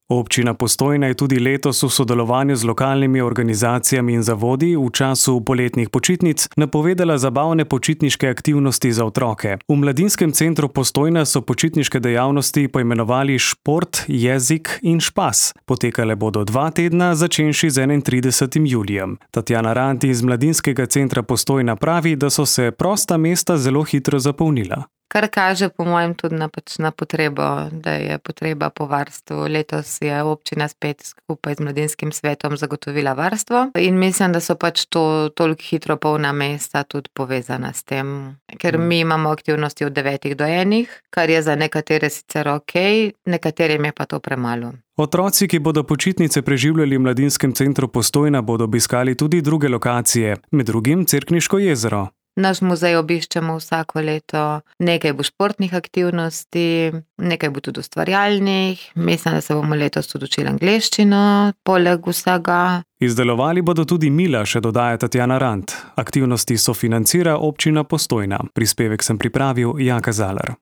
Občina Postojna je tudi letos v sodelovanju z lokalnimi organizacijami in zavodi v času poletnih počitnic napovedala zabavne počitniške aktivnosti za otroke. V Mladinskem centru Postojna so počitniške dejavnosti poimenovali Šport, jezik in špas. Potekale bodo 2 tedna, začenši z 31. julijem. Tatjana Rant iz Mladinskega centra Postojna pravi, da so se prosta mesta zelo hitro zapolnila. Kar kaže po mojem tudi na potrebo, da je potreba po varstvu. Letos je občina spet skupaj z Mladinskim svetom zagotovila varstvo in mislim, da so to toliko hitro polna mesta tudi povezana s tem. Ker mi imamo aktivnosti od 9 do 1, kar je za nekatere sicer okej, nekaterim je pa to premalo. Otroci, ki bodo počitnice preživljali v Mladinskem centru Postojna, bodo obiskali tudi druge lokacije, med drugim Cerkniško jezero. Naš muzej obiščemo vsako leto, nekaj bo športnih aktivnosti, nekaj bo tudi ustvarjalnih, mislim, da se bomo letos tudi učili angleščino, poleg vsega. Izdelovali bodo tudi mila, še dodaja Tatjana Rant. Aktivnosti sofinancira občina Postojna. Prispevek sem pripravil Jaka Zalar.